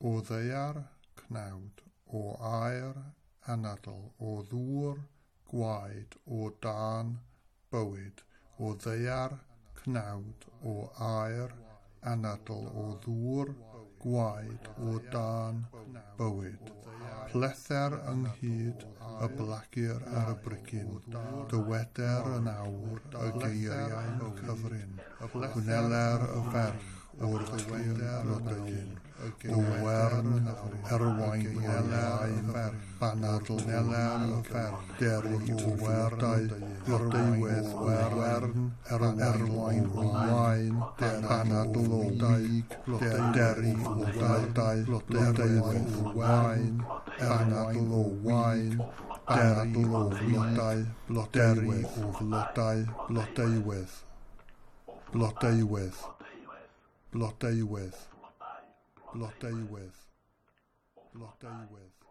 O ddaear, cnawd, o aer, anadl, o ddŵr, gwaed, o dân, bywyd, o ddaear, cnawd, o aer, anadl, o ddŵr, gwaed, o dân, bywyd. Plether ynghyd y blagur ar y brigyn, dyweder yn awr y geiriau cyfrin, gwneler y ferch o'r tir blodeuyn, o wern erwain o lain, banadl o wig, deri o flodau, blodeuwedd o wern, erwain o wain, banadl o wig, deri o flodau, blodeuwedd o wain, banadl o wain, deri o flodau, blodeuwedd o flodau, blodeuwedd, blodeuwedd, blodeuwedd, blodeuwedd, blodeuwedd.